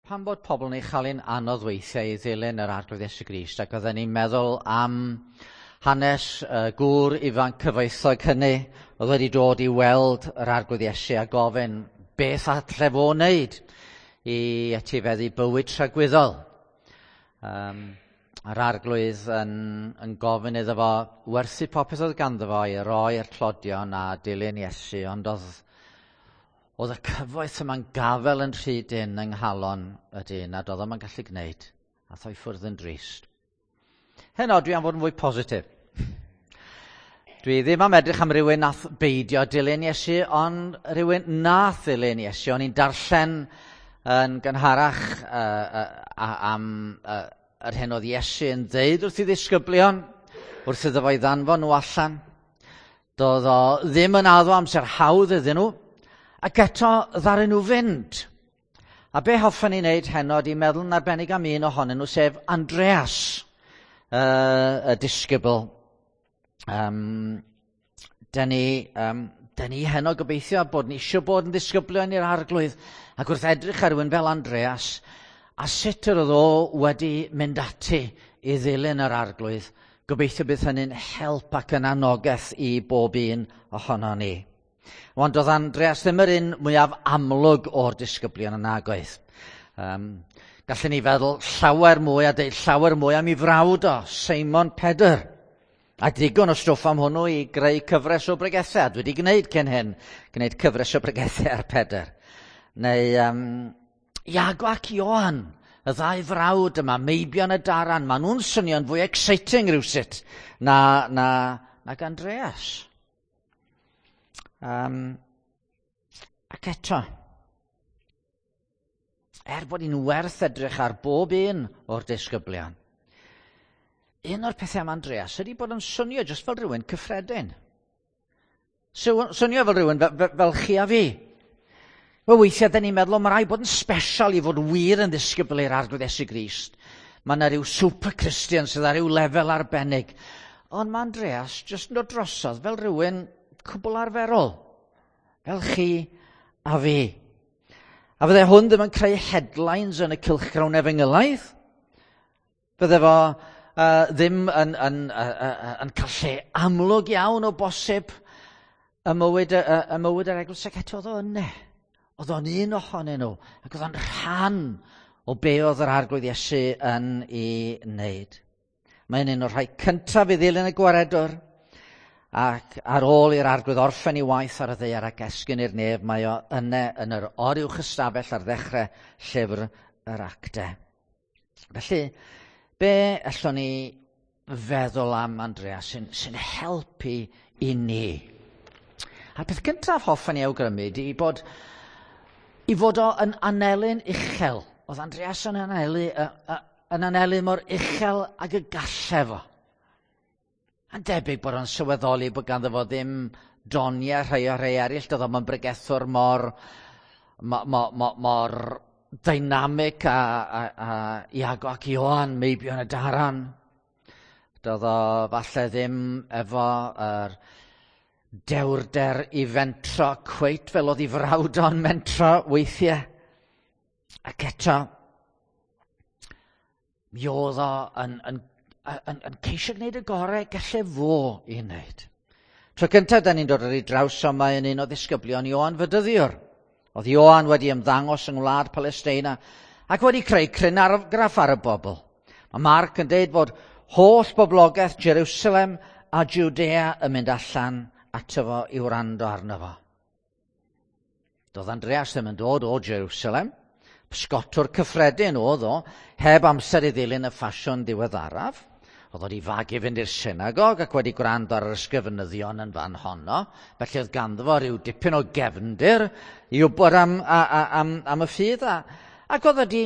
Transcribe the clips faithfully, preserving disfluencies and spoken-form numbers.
Pam bod pobl yn ei chael hi'n anodd weithiau i ddilyn yr Arglwydd Iesu Grist, ac oedden ni'n meddwl am hanes uh, gŵr ifanc cyfoethog hynny oedd wedi dod i weld yr Arglwydd Iesu a gofyn beth alle fo wneud i etifeddu bywyd tragwyddol. Um, a'r Arglwydd yn, yn gofyn iddo fo werthu popeth oedd ganddo fo i roi i'r tlodion a dilyn Iesu, ond oedd oedd y cyfoeth yma'n gafel yn rhy dynn yng nghalon y dyn a doedd o'm yn gallu gwneud. Ath o i ffwrdd yn drist. Heno, dwi am fod yn fwy positif. Dwi ddim am edrych am rywun nath beidio dilyn Iesu, ond rhywun nath ddilyn Iesu. O'n i'n darllen yn gynharach uh, uh, am uh, yr hyn oedd Iesu yn ddeud wrth ei ddisgyblion, wrth iddo fo i ddanfon nhw allan. Doedd o ddim yn addo amser hawdd iddyn nhw, ac eto ddaru nhw fynd. A be hoffen ni wneud heno ydy meddwl yn arbennig am un ohonyn nhw, sef Andreas, uh, y disgybl. Um, dyn ni, um, dyn ni heno gobeithio bod ni eisiau bod yn ddisgyblion i'r Arglwydd, ac wrth edrych ar rhywun fel Andreas, a sut yr oedd o wedi mynd ati i ddilyn yr Arglwydd, gobeithio bydd hynny'n help ac yn anogaeth i bob un ohono ni. Ond doedd Andreas ddim yr un mwyaf amlwg o'r disgyblion yn nagoedd. Um, gallen ni feddwl llawer mwy a deud llawer mwy am ei frawd o, Seimon Pedr. A digon o stwff am hwnnw i greu cyfres o bregethau. Dwi wedi gwneud cyn hyn, gwneud cyfres o bregethau ar Pedr. Neu um, Iago ac Ioan, y ddau frawd yma, meibion y daran, maen nhw'n swnio'n fwy exciting rhywsut na, na, nag Andreas. Um, ac eto, er bod hi'n werth edrych ar bob un o'r disgyblion, un o'r pethau am Andreas ydy bod yn swnio jyst fel rhywun cyffredin. Swnio fel rhywun fel, fel, fel chi a fi. Wel, weithiau, da ni'n meddwl, mae rhaid bod yn special i fod wir yn ddisgybl i'r Arglwydd Iesu Grist. Mae yna rhyw super Christian sydd ar ryw lefel arbennig. Ond mae Andreas jyst yn dod drosodd fel rhywun cwbl arferol. Fel chi a fi. A fydde hwn ddim yn creu headlines yn y cylchgrawn efengylaidd. Fydde fo uh, ddim yn, yn, uh, uh, yn cael lle amlwg iawn o bosib y mywyd, y, y mywyd yr eglwys, ac eto oedd o yna. Oedd o'n un ohonyn nhw, ac oedd o'n rhan o be oedd yr Arglwydd Iesu yn ei wneud. Mae'n un o'r rhai cyntaf i ddilyn y Gwaredwr, ac ar ôl i'r Arglwydd orffen ei waith ar y ddaear ac esgyn i'r nef, mae o yna yn yr oruwch ystafell ar ddechrau llyfr yr Actau. Felly, be allwn ni feddwl am Andreas sy'n, sy'n helpu i ni? A'r peth gyntaf hoffen ni awgrymu ydy bod i fod o yn anelu'n uchel. Oedd Andreas yn anelu, yn anelu mor uchel ag y galle fo. A'n debyg bod o'n sylweddoli bod ganddo fo ddim doniau rhai o rhai eraill. Doedd o'm yn bregethwr mor, mor, mor, mor, mor dynamic a, a, a Iago ac Ioan, meibion y daran. Doedd o falle ddim efo yr dewrder i fentro cweit fel oedd ei frawd o'n mentro weithiau. Ac eto, mi oedd o yn, yn, yn, yn ceisio gwneud y gorau gallai fo i wneud. Tro cyntaf da ni'n dod ar ei draws o, mae yn un o ddisgyblion Ioan Fedyddiwr. Oedd Ioan wedi ymddangos yng ngwlad Palesteina ac wedi creu cryn argraff ar y bobl. Mae Marc yn deud bod holl boblogaeth Jerusalem a Judea yn mynd allan ato fo i wrando arno fo. Doedd Andreas ddim yn dod o Jerusalem. Pysgotwr cyffredin oedd o, heb amser i ddilyn y ffasiwn diweddaraf. Oedd wedi fagu fynd i'r synagog ac wedi gwrando ar yr ysgrifenyddion yn fan honno. Felly oedd ganddo fo rhyw dipyn o gefndir i wybod am, a, a, am, am y ffydd. A, ac oedd wedi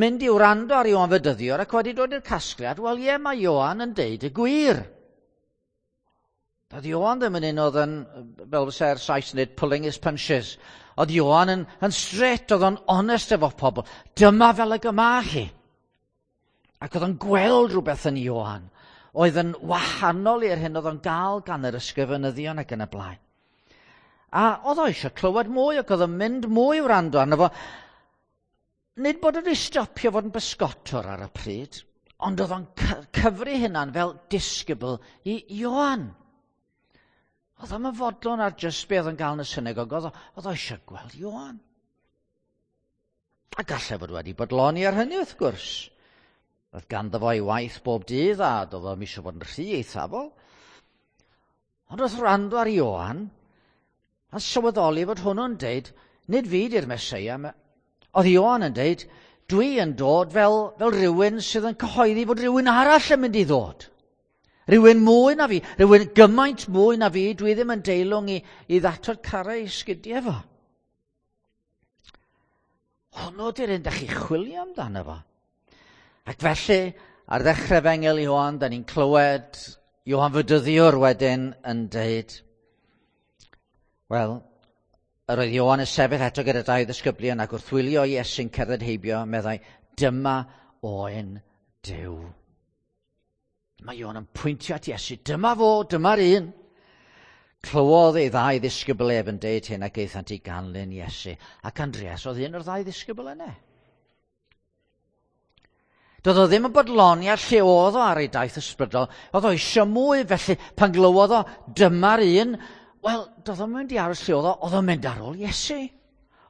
mynd i wrando ar Ioan Fedyddiwr ac wedi dod i'r casgliad, wel ie, mae Ioan yn deud y gwir. Doedd Ioan ddim yn un oedd yn, fel fysa'r Sais yn dweud, pulling his punches. Oedd Ioan yn, yn straight, oedd o'n honest efo pobl. Dyma fel y gyma chi. Ac oedd o'n gweld rhywbeth yn Ioan oedd yn wahanol i'r hyn oedd o'n gael gan yr ysgrifenyddion ac yn y blaen. A oedd o eisiau clywed mwy ac oedd o'n mynd mwy wrando arno fo. Nid bod wedi stopio fod yn bysgotwr ar y pryd, ond oedd o'n cyfri hynna'n fel disgybl i Ioan. Oedd o'n fodlon ar jyst be oedd yn gael yn y synagog, oedd o eisiau gweld Ioan. A gallai fod wedi bodloni ar hynny wrth gwrs. Oedd ganddo fo ei waith bob dydd a doedd o'm eisiau bod yn rhy eithafol. Ond wrth wrando ar Ioan, a sylweddoli fod hwnnw'n deud, nid fi di'r Meseia. Oedd Ioan yn deud, dwi yn dod fel, fel rhywun sydd yn cyhoeddi fod rhywun arall yn mynd i ddod. Rhywun mwy na fi, rhywun gymaint mwy na fi, dwi ddim yn deilwng i, i ddatod carau i sgidiau fo. Hwnnw di'r un da chi chwilio amdano fo. Ac felly, ar ddechrau Efengyl Ioan, da ni'n clywed Ioan Fedyddiwr wedyn yn deud, wel, yr oedd Ioan yn sefyll eto gyda dau ddisgyblion ac wrth wylio Iesu'n cerdded heibio, meddai, dyma oen Duw. Mae Ioan yn pwyntio at Iesu, dyma fo, dyma'r un. Clywodd ei ddau ddisgybl ef yn deud hyn ac aethant i ganlyn Iesu. Ac Andreas oedd un o'r ddau ddisgybl yna. Doedd o ddim yn bodloni ar lle oedd o ar ei daith ysbrydol. Oedd o eisiau mwy, felly pan glywodd o dyma'r un, wel, doedd o'n mynd i aros lle oedd o, oedd o'n mynd ar ôl Iesu.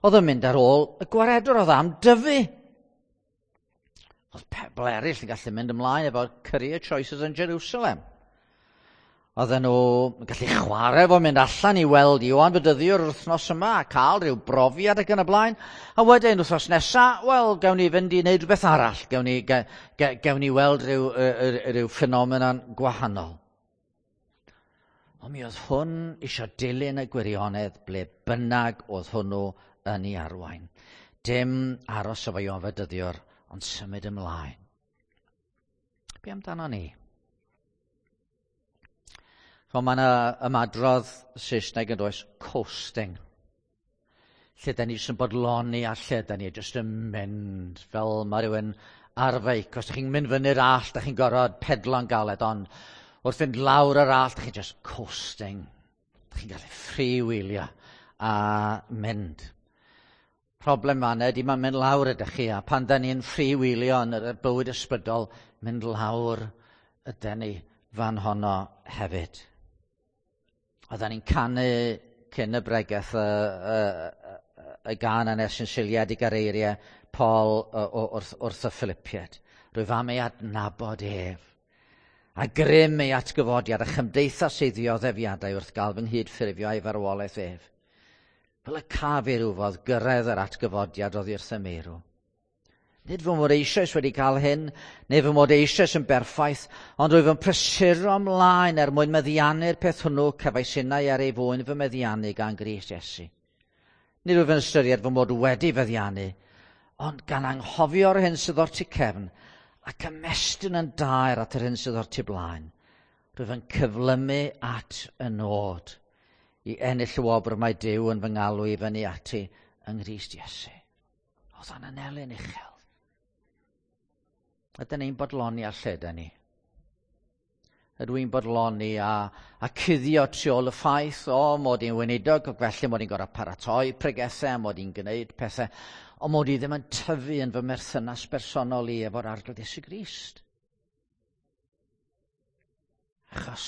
Oedd o'n mynd ar ôl y gwaredwr, oedd am dyfu. Oedd pobl eraill yn gallu mynd ymlaen efo career choices yn Jerusalem. Oedden nhw yn gallu chwarae fo mynd allan i weld Ioan Fedyddiwr yr wythnos yma a cael rhyw brofiad ac yn y blaen. A wedyn wythnos nesa, wel, gawn ni fynd i wneud rhywbeth arall. Gawn ni, ge, ge, gawn ni weld rhyw, rhyw ffenomenon gwahanol. Ond mi oedd hwn eisiau dilyn y gwirionedd ble bynnag oedd hwnnw yn ei arwain. Dim aros efo Ioan Fedyddiwr, ond symud ymlaen. Be amdano ni? So mae yna ymadrodd Saesneg yn does, coasting. Lle da ni jyst yn bodloni a lle da ni jyst yn mynd fel mae rhywun ar feic. Os da chi'n mynd fyny'r allt, da chi'n gorfod pedlo'n galed, ond wrth fynd lawr yr allt, da chi'n just coasting. Da chi'n gallu freewheelio a mynd. Problem fan ydy mae'n mynd lawr ydych chi, a pan da ni'n freewheelio yn y bywyd ysbrydol, mynd lawr ydyn ni fan honno hefyd. Oedden ni'n canu cyn y bregeth y, y, y, y gân yna sy'n seiliedig ar eiriau Paul wrth, wrth y Philippiaid. Rwyf am ei adnabod ef. A grym ei atgyfodiad a chymdeithas ei ddioddefiadau wrth gael fy nghydffurfio a'i farwolaeth ef. Fel y caf i rywfodd gyrraedd yr atgyfodiad oddi wrth y meirw. Nid fy mod eisoes wedi cael hyn, neu fy mod eisoes yn berffaith, ond rwyf yn prysuro ymlaen er mwyn meddiannu'r peth hwnnw cefais innau ar ei fwyn fy meddiannu gan Grist Iesu. Nid wyf yn ystyried fy mod wedi feddiannu, ond gan anghofio'r hyn sydd o'r tu cefn ac ymestyn yn daer at yr hyn sydd o'r tu blaen. Rwyf yn cyflymu at y nod i ennill y wobr mae Duw yn fy ngalw i fyny ati yng Nghrist Iesu. Oedd o'n anelyn uchel. Ydyn ni'n bodloni ar lle ydyn ni? Ydw i'n bodloni a, a cuddio tu ôl y ffaith, o, mod i'n weinidog, ac felly mod i'n gorfod paratoi pregethau, mod i'n gwneud pethau, ond mod i ddim yn tyfu yn fy merthynas bersonol i efo'r Arglwydd Iesu Grist. Achos,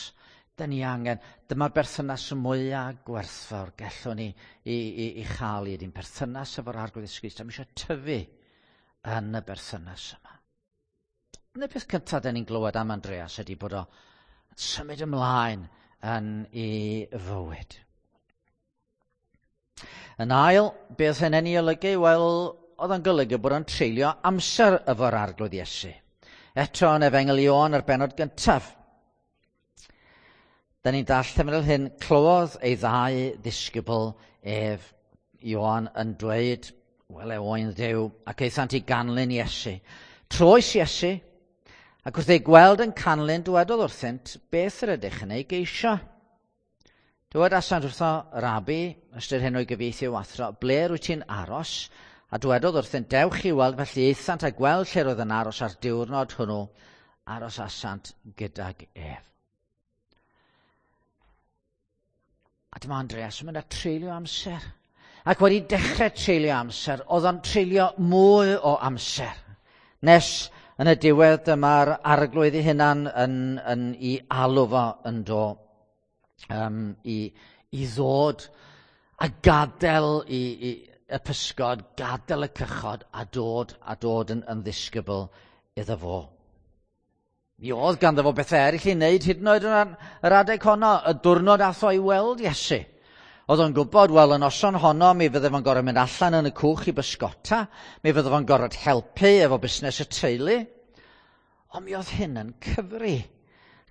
dyn ni angen, dyma'r berthynas mwyaf gwerthfawr gallwn ni i, i, i chael i, ydy'n perthynas efo'r Arglwydd Iesu Grist, a mi eisiau tyfu yn y berthynas yma. Yn y peth cyntaf dyn ni'n glywed am Andreas ydy bod o'n symud ymlaen yn ei fywyd. Yn ail, beth hynny'n ei olygu? Wel, oedd o'n golygu bod o'n treulio amser efo'r Arglwydd Iesu. Eto yn Efengyl Ioan ar bennod gyntaf. Da ni'n darllen fel hyn, clywodd ei ddau ddisgybl ef Ioan yn dweud, wele oen Dduw, ac aethant i ganlyn Iesu. Troes Iesu, ac wrth ei gweld yn canlyn, dywedodd wrthynt, beth yr ydych yn ei geisio? Dywedasant wrtho, Rabi, ystyr hyn o'i gyfieithu o athro, ble rwyt ti'n aros? A dywedodd wrthynt, dewch i weld, felly aethant a gweld lle roedd yn aros ar diwrnod hwnnw, aros asant gydag ef. A dyma Andreas yn mynd a treulio amser. Ac wedi dechrau treulio amser, oedd o'n treulio mwy o amser. Nes yn y diwedd dyma'r arglwydd ei hunan yn, yn, i alw fo yn do, um, i, i ddod a gadael i, i, y pysgod, gadael y cychod a dod a dod yn, yn ddisgybl iddo fo. Mi oedd ganddo fo bethau eraill i wneud hyd yn oed yn yr adeg honno, y diwrnod ath o i weld Iesu. Oedd o'n gwybod, wel, y noson honno mi fydde fo'n gorfod mynd allan yn y cwch i bysgota, mi fydde fo'n gorfod helpu efo busnes y teulu. Ond mi oedd hyn yn cyfri.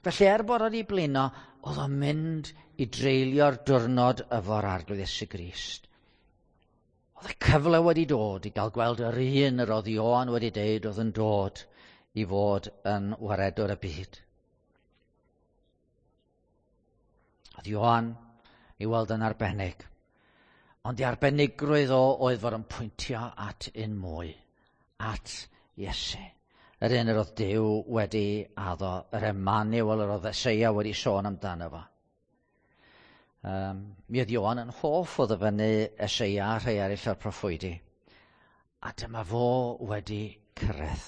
Felly er bod o wedi blino, oedd o'n mynd i dreulio'r diwrnod efo'r Arglwydd Iesu Grist. Oedd y cyfle wedi dod i gael gweld yr un yr oedd Ioan wedi deud oedd yn dod i fod yn waredwr y byd. Oedd Ioan i weld yn arbennig. Ond ei arbenigrwydd o oedd fod yn pwyntio at un mwy, at Iesu. Yr un yr oedd Duw wedi addo, yr Emmanuel yr oedd Eseia wedi sôn amdano fo. Um, mi oedd Ioan yn hoff o ddyfynnu Eseia a rhai eraill o'r proffwydi. A dyma fo wedi cyrraedd.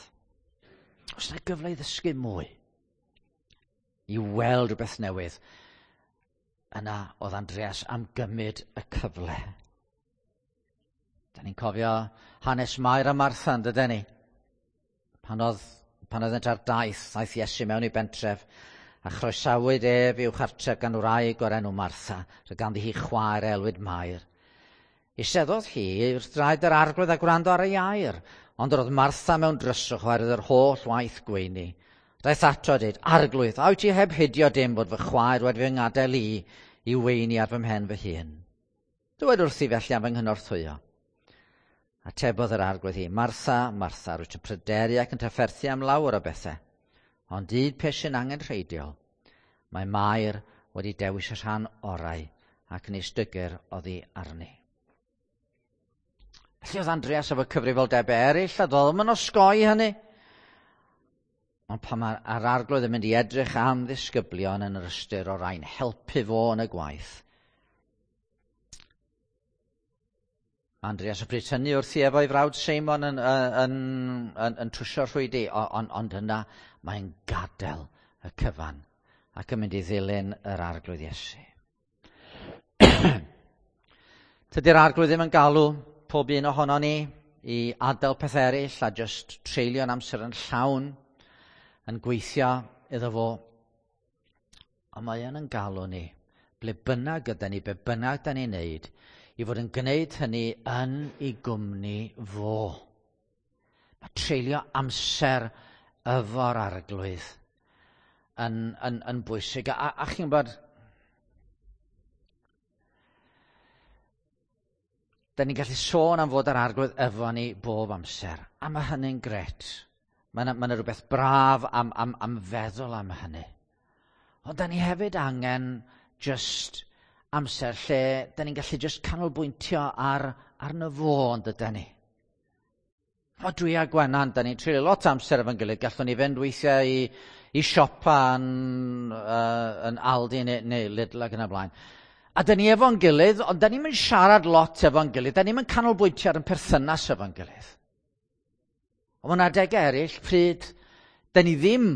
Oes yna gyfle i ddysgu mwy? I weld rhywbeth newydd? Yna oedd Andreas am gymryd y cyfle. Da ni'n cofio hanes Mair a Martha, yn dydyn ni? Pan oedd, pan oeddent ar daith, aeth Iesu mewn i bentref, a chroesawyd ef i'w chartref gan wraig o'r enw Martha, roedd ganddi hi chwaer elwyd Mair. Eisteddodd hi wrth draed yr arglwydd a gwrando ar ei air, ond yr oedd Martha mewn dryswch oherwydd yr holl waith gweini. Daeth ato a dweud, Arglwydd, a wyt ti heb hidio dim bod fy chwaer wedi fy ngadael i i weini ar fy mhen fy hun? Dywed wrthi felly am fy nghynorthwyo. Atebodd yr arglwydd hi, Martha, Martha, rwyt yn pryderu ac yn trafferthu am lawer o bethau, ond un peth sy'n angenrheidiol, mae Mair wedi dewis y rhan orau ac nis dygir oddi arni. Felly oedd Andreas efo cyfrifoldebau eraill a doedd o'm yn osgoi hynny. Ond pan mae'r arglwydd yn mynd i edrych am ddisgyblion yn yr ystyr o rai'n helpu fo yn y gwaith. Andreas y pryd hynny wrthi efo'i frawd Seimon yn, yn, yn, yn, yn trwsio'r rhwydi, ond, ond yna mae'n gadael y cyfan ac yn mynd i ddilyn yr arglwydd Iesu. Tydi'r arglwydd ddim yn galw pob un ohonon ni i adael peth eraill a just treulio'n amser yn llawn yn gweithio iddo fo. Ond mae yn yn galw ni, ble bynnag yda ni, be bynnag da ni'n neud, i fod yn gwneud hynny yn ei gwmni fo. Mae treulio amser efo'r arglwydd yn, yn, yn bwysig. A, a chi'n gwybod, da ni'n gallu sôn am fod yr arglwydd efo ni bob amser, a mae hynny'n gret. Mae yna, ma rhywbeth braf am, am, am feddwl am hynny. Ond da ni hefyd angen just amser lle da ni'n gallu just canolbwyntio ar, arno fo, ond ydy ni. O, dwi a Gwenan, da ni'n treulio lot amser efo'n gilydd. Gallwn ni fynd weithiau i, i siopa yn, uh, yn Aldi neu, neu Lidl ac yn y blaen. A da ni efo'n gilydd, ond da ni'n mynd siarad lot efo'n gilydd. Da ni'n mynd canolbwyntio ar yn perthynas efo'n gilydd. Ond mae'n adegau eraill pryd da ni ddim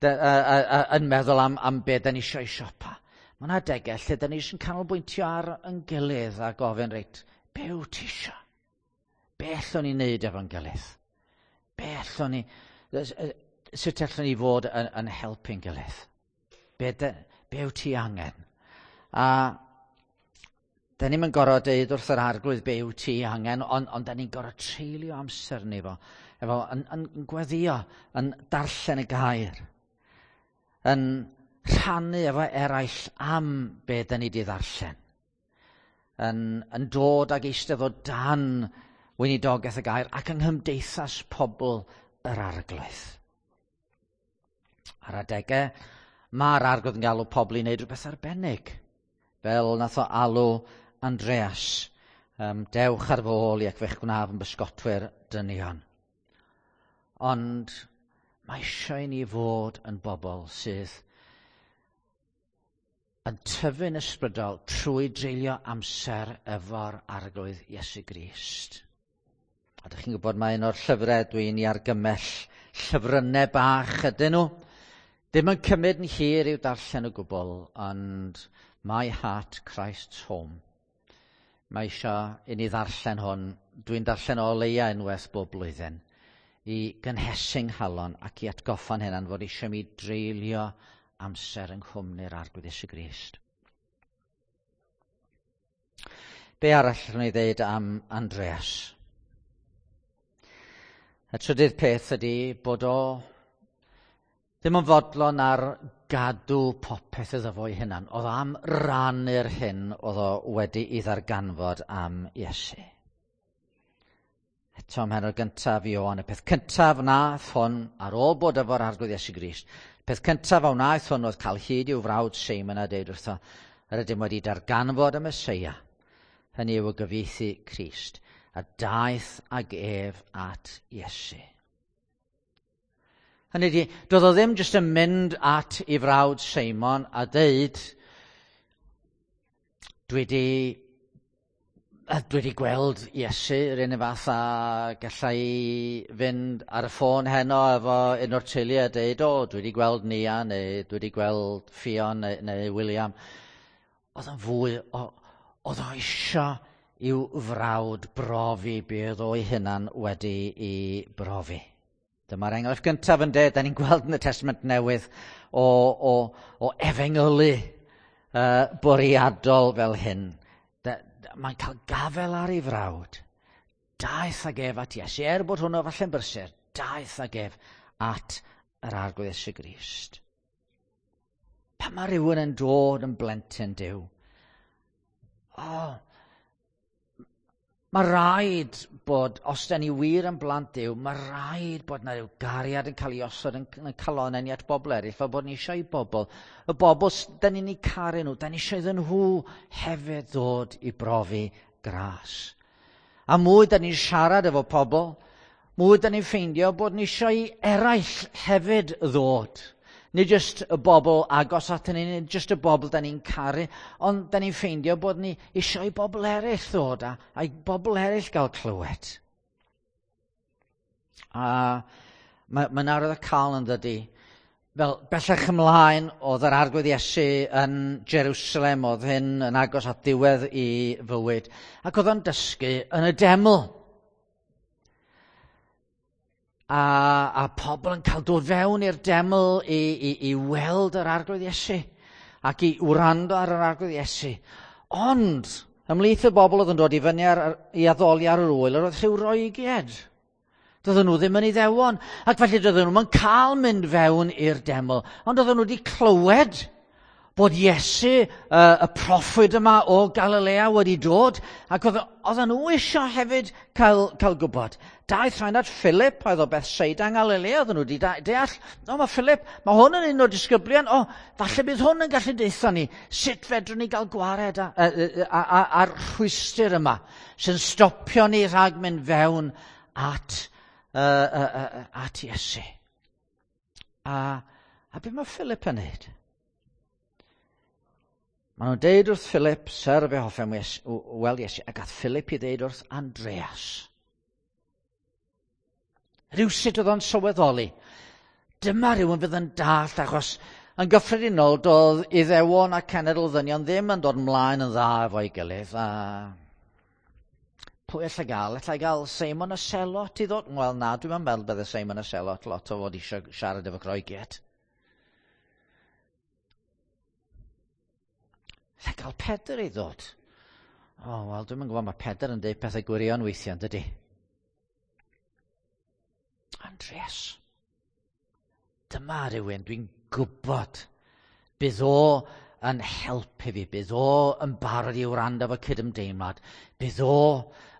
da, uh, uh, uh, yn meddwl am, am be da ni eisiau siopa. Mae'n adegau lle da ni eisiau canolbwyntio ar yn gilydd a gofyn, reit, be wyt ti eisiau? Be allwn ni wneud efo'n gilydd? Be allwn ni, sut allwn ni fod yn, yn helpu'n gilydd? Be, de, be wyt ti angen? A da ni'm yn gorfod deud wrth yr arglwydd be wyt ti angen, ond, ond da ni'n gorfod treulio amser ni fo, efo yn, yn, yn gweddio, yn darllen y gair, yn rhannu efo eraill am be da ni di ddarllen, yn, yn dod ag eistedd o dan weinidogaeth y gair ac yng nghymdeithas pobl yr arglwydd. Ar adegau, mae'r arglwydd yn galw pobl i wneud rhywbeth arbennig, fel nath o alw Andreas, um, dewch ar fy ôl i ac fe'ch gwnaf yn bysgotwyr dynion. Ond mae eisiau i ni fod yn bobl sydd yn tyfu'n ysbrydol trwy dreulio amser efo'r Arglwydd Iesu Grist. A ydych chi'n gwybod mae un o'r llyfrau dwi'n ei argymell, llyfrynnau bach ydyn nhw. Ddim yn cymryd yn hir i'w darllen o gwbl, ond My Heart Christ's Home. Mae eisiau i ni ddarllen hwn. Dwi'n darllen o leia unwaith bob blwyddyn i gynhesu 'nghalon ac i atgoffa'n hunan fod eisiau mi dreulio amser yng nghwmni'r Arglwydd Iesu Grist. Be arall rwy'n ei ddeud am Andreas? Y trydydd peth ydy bod o ddim yn fodlon ar gadw popeth iddo fo'i hunan. Oedd o am rannu'r hyn oedd o wedi ei ddarganfod am Iesu. Eto ym mhennod gyntaf Ioan, y peth cyntaf wnaeth hwn ar ôl bod efo'r Arglwydd Iesu Grist, peth cyntaf a wnaeth hwn oedd cael hyd i'w frawd Seimon a deud wrtho, yr ydym wedi darganfod y Meseia, hynny yw y gyfieithu Crist, a daeth ag ef at Iesu. Hynny ydi, doedd o ddim jyst yn mynd at ei frawd Seimon a deud, dwi di, dwi di gweld Iesu yr un fath a gallai fynd ar y ffôn heno efo un o'r teulu a deud, o, dwi di gweld Nia neu dwi di gweld Ffion neu, neu William. Oedd yn fwy, o, oedd o isio i'w frawd brofi be oedd o'i hunan wedi i brofi. Dyma'r enghraifft gyntaf yn dweud, da ni'n gweld yn y Testament Newydd o, o, o efengylu uh, bwriadol fel hyn. Mae'n cael gafel ar ei frawd. Daeth ag ef at Iesu, er bod hwnnw falle'n brysur, daeth ag ef at yr Arglwydd Iesu Grist. Pan mae rhywun yn dod yn blentyn Duw, o, mae rhaid bod, os da ni wir yn blant Duw, mae rhaid bod na ryw gariad yn cael ei osod yn, yn calonnau ni at bobl eraill, fel bod ni eisiau i bobl. Y bobl da ni'n eu caru nhw, da ni eisiau iddyn nhw hefyd ddod i brofi gras. A mwy da ni'n siarad efo pobl, mwy da ni'n ffeindio bod ni eisiau i eraill hefyd ddod. Nid jyst y bobl agos at ni, nid jyst y bobl da ni'n caru, ond da ni'n ffeindio bod ni eisiau i bobl eraill ddod a, a i bobl eraill gael clywed. A mae'n ma arwydd y cael yn dydy. Fel bellach ymlaen, oedd yr Arglwydd Iesu yn Jerusalem, oedd hyn yn agos at ddiwedd i fywyd, ac oedd o'n dysgu yn y deml. A, a pobl yn cael dod fewn i'r deml i, i, i weld yr Arglwydd Iesu ac i wrando ar yr Arglwydd Iesu. Ond, ymhlith y bobl oedd yn dod i fyny ar, i addoli ar yr wyl, yr oedd rhyw Roegiaid. Doedden nhw ddim yn Iddewon, ac felly doedden nhw'n cael mynd fewn i'r deml, ond doedden nhw wedi clywed bod Iesu, uh, y proffwyd yma o Galilea wedi dod, ac oedden nhw eisiau hefyd cael, cael gwybod. Daeth rhain at Philip, oedd o Bethsaida yng Ngalilea, oedden nhw wedi deall, o, mae Philip, mae hwn yn un o'r disgyblion, o, falle bydd hwn yn gallu deutha ni, sut fedrwn ni gael gwared a'r rhwystr yma, sy'n stopio ni rhag mynd fewn at, uh, uh, uh, at Iesu. A, a be mae Philip yn neud? Maen nhw'n deud wrth Philip, Syr, fe hoffem weld Iesu, a gath Philip i ddeud wrth Andreas. Rhywsut oedd o'n sylweddoli. Dyma rhywun fydd yn dallt, achos yn gyffredinol doedd Iddewon a cenedl ddynion ddim yn dod ymlaen yn dda efo'i gilydd. A pwy allai gael? Allai gael Seimon y Selot i ddod? Wel na, dwi'n meddwl bydde Seimon y Selot lot o fod eisiau siarad efo Groegiaid. Allai gael Pedr i ddod? O, oh, wel, dwi'n gwybod, mae Pedr yn dweud pethau gwirion weithiau, dydy? Andreas, dyma rhywun dwi'n gwybod. Bydd o yn helpu fi, bydd o yn barod i wrando efo cydymdeimlad, bydd o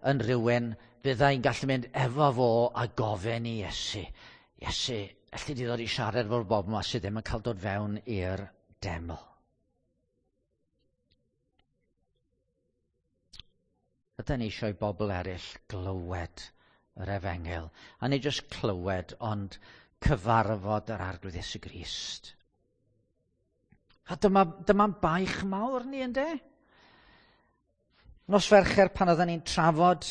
yn rhywun fyddai'n gallu mynd efo fo a gofyn i Iesu. Iesu, alli di ddod i siarad efo'r bobl yma sydd ddim yn cael dod fewn i'r deml. Ydyn ni eisiau i bobl eraill glywed yr efengyl. A nid jyst clywed, ond cyfarfod yr Arglwydd Iesu Grist. A dyma, dyma'n baich mawr ni, ynde? Nos Fercher pan oedden ni'n trafod,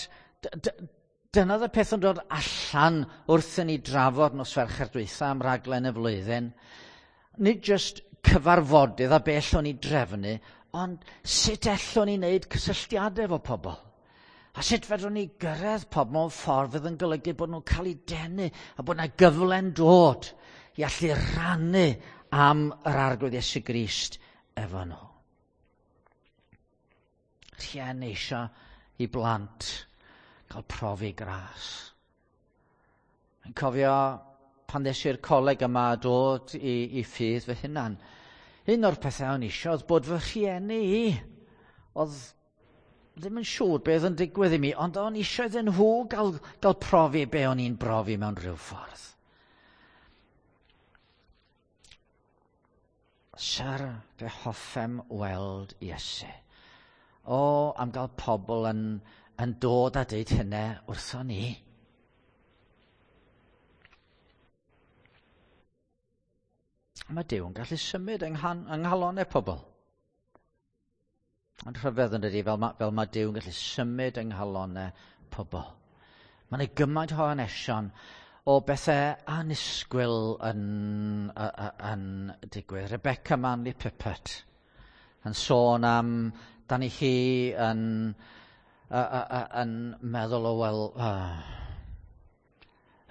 dyna oedd y peth yn dod allan wrth i ni drafod nos Fercher dwytha am raglen y flwyddyn. Nid jyst cyfarfodydd a be allwn ni drefnu, ond sut ellwn ni wneud cysylltiadau efo pobl. A sut fedrwn ni gyrraedd pobl mewn ffordd fydd yn golygu bod nhw'n cael eu denu a bod yna gyfle'n dod i allu rannu am yr Arglwydd Iesu Grist efo nhw. Rhieni eisiau i blant cael profi gras. Yn cofio pan ddes i'r coleg yma a dod i, i ffydd fy hunan. Un o'r pethau o'n eisiau oedd bod fy rhieni i. Oedd ddim yn siŵr beth yn digwydd i mi, ond o'n eisiau iddyn nhw gael, gael profi be o'n i'n brofi mewn rhyw ffordd. Syr, fe hoffem weld Iesu. O, am gael pobl yn, yn dod a deud hynny wrthon ni. Mae Duw yn gallu symud yng, yng nghalonau pobl. Ond rhyfedd yn dydi, fel mae, fel mae Duw yn gallu symud yng nghalonau pobl. Mae yna gymaint o hanesion o bethau annisgwyl yn, yn, yn digwydd. Rebecca Manley Pippert yn sôn am, dan i chi yn, yn meddwl o, wel, uh,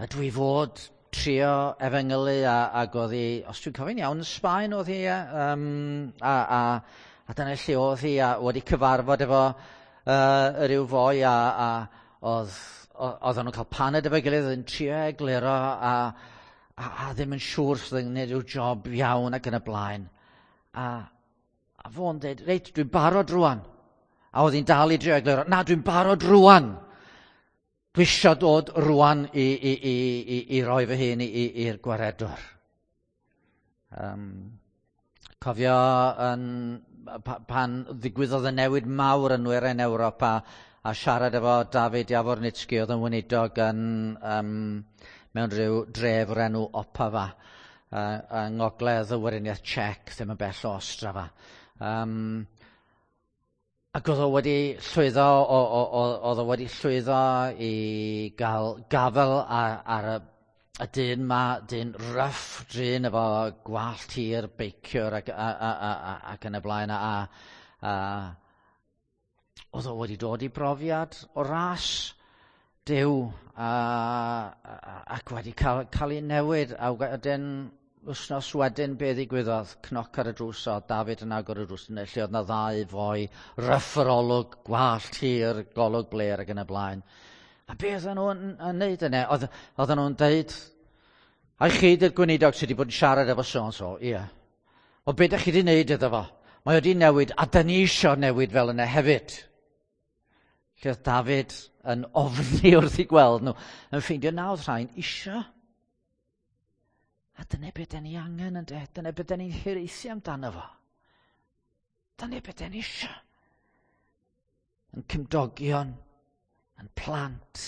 ydw i fod trio efengylu a, ac oedd hi, os dwi'n cofio'n iawn, yn Sbaen oedd hi, um, a, a, a dyna lle oedd hi, a wedi cyfarfod efo uh, ryw foi, a, a oedd, oedden nhw'n cael paned efo'i gilydd, yn trio egluro, a, a, a ddim yn siŵr sydd yn gwneud rhyw job iawn ac yn y blaen. A, a fo'n dweud, reit, dwi'n barod rwan. A oedd hi'n dal i drio egluro, na, dwi'n barod rwan. Dwi eisiau dod rwan i, i, i, i, i roi fy hun i'r gwaredwr. Um, cofio yn, pan ddigwyddodd y newid mawr yn Nwyrain Ewrop a, a siarad efo David Jawornicki oedd yn weinidog yn, um, mewn rhyw dref o'r enw Opava uh, yng ngogledd y Weriniaeth Czech, ddim yn bell o Ostrava. Um, Ac oedd o wedi llwyddo, oedd o wedi llwyddo i gael gafel ar, ar y, y dyn ma, dyn rough dyn efo gwallt hir, beiciwr ac, a, a, a, a, ac yn y blaen. A, a, oedd o wedi dod i brofiad o ras Duw a, a, ac wedi cael, cael ei newid. A wedyn, wythnos wedyn, be ddigwyddodd? Cnoc ar y drws, a David yn agor y drws, lle oedd na ddau foi, ryff yr olwg, gwallt hir, golwg blêr ac yn y blaen. A be oedden nhw'n yn neud yna? Oedd, oedden nhw'n deud, a chi di'r gweinidog sydd wedi bod yn siarad efo so and so, ie. O be ydych chi wedi neud iddo fo? Mae wedi newid, a da ni isio newid fel yna hefyd. Lle oedd David yn ofni wrth i gweld nhw, yn ffeindio na oedd rhain isio. A dyna beth da ni angen yn de, dyna beth da ni'n hiraethu amdano fo. Dyna beth da ni isio. Yn cymdogion, yn plant,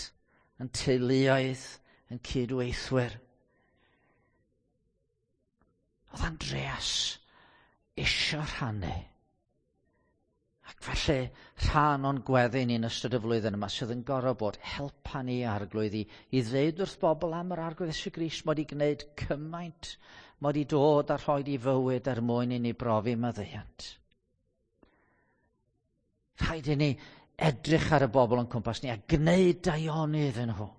yn teuluoedd, yn cydweithwyr. Oedd Andreas isio rhannu. Ac felly rhan o'n gweddi ni'n ystod y flwyddyn yma sydd yn gorfod bod helpa ni Arglwydd i, i ddeud wrth bobl am yr Arglwydd Iesu Grist mod i gwneud cymaint, mod i dod a rhoi i fywyd er mwyn i ni brofi maddeuant. Rhaid i ni edrych ar y bobl o'n cwmpas ni a gwneud daioni iddyn nhw.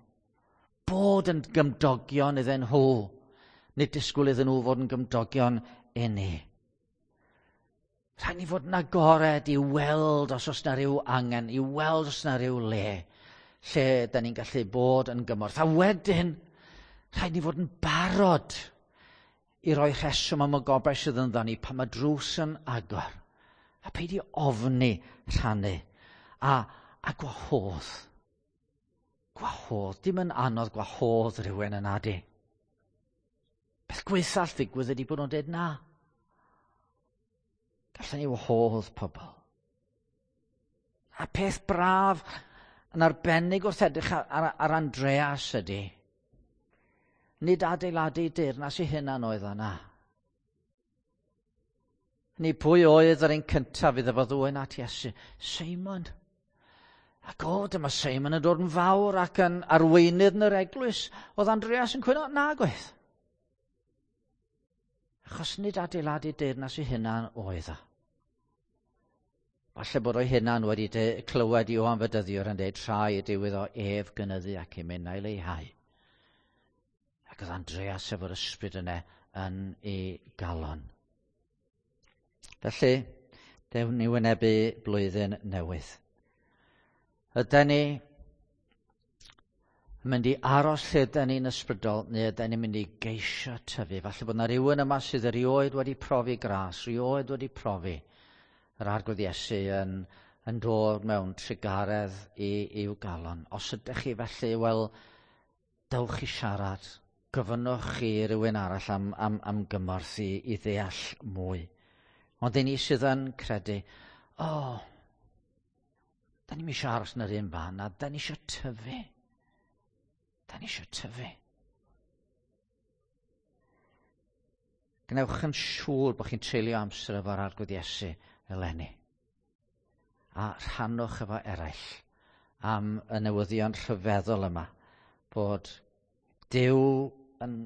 Bod yn gymdogion iddyn nhw. Nid disgwyl iddyn nhw fod yn gymdogion i ni. Rhaid ni fod yn agored i weld os oes na ryw angen, i weld os na ryw le lle da ni'n gallu bod yn gymorth. A wedyn, rhaid ni fod yn barod i roi rheswm am y gobaith sydd ynddo ni pan mae drws yn agor. A peidio ofni rhannu. A, a gwahodd. Gwahodd. Dim yn anodd gwahodd rhywun yn adi. Beth gwaetha all ddigwydd ydy bod nhw'n dweud na. Gallen ni wahodd pobl. A peth braf yn arbennig wrth edrych ar, ar, ar Andreas ydy, nid adeiladu deyrnas i hunan oedd yna. Ni pwy oedd yr un cyntaf iddo fo ddwyn at Iesu? Seimon. Ac o, dyma Seimon yn dod yn fawr ac yn arweinydd yn yr eglwys. Oedd Andreas yn cwyno? Nag oedd. Achos nid adeiladu deyrnas ei hunan oedd o. Falle bod o'i hunan wedi clywed Ioan Fedyddiwr yn dweud rhaid yw iddo ef gynyddu ac i minnau leihau. Ac oedd Andreas efo'r ysbryd yna yn ei galon. Felly, dewn ni wynebu blwyddyn newydd. Yden ni yn mynd i aros lle yden ni'n ysbrydol, neu yden ni'n mynd i geisio tyfu? Falle bod yna rhywun yma sydd erioed wedi profi gras, erioed wedi profi yr Arglwydd Iesu yn, yn dod mewn trugaredd i, i'w galon. Os ydych chi felly, wel, dewch i siarad, gofynnwch chi rywun arall am, am, am gymorth i, i ddeall mwy. Ond i ni sydd yn credu, o, oh, da ni'n eisiau aros yn yr un fan, a da ni eisiau tyfu. Da ni eisiau tyfu. Gwnewch yn siŵr bod chi'n treulio amser efo'r Arglwydd Iesu eleni. A rhannwch efo eraill am y newyddion rhyfeddol yma, bod Duw yn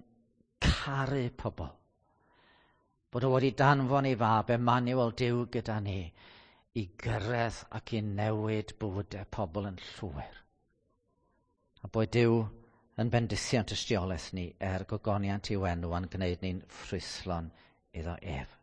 caru pobl. Bod o wedi danfon ei fab Emmanuel, Duw gyda ni, i gyrraedd ac i newid bywydau pobl yn llwyr. A bod Duw yn bendithion tystiolaeth ni er gogoniant i'w enw a'n gwneud ni'n ffrwythlon iddo ef.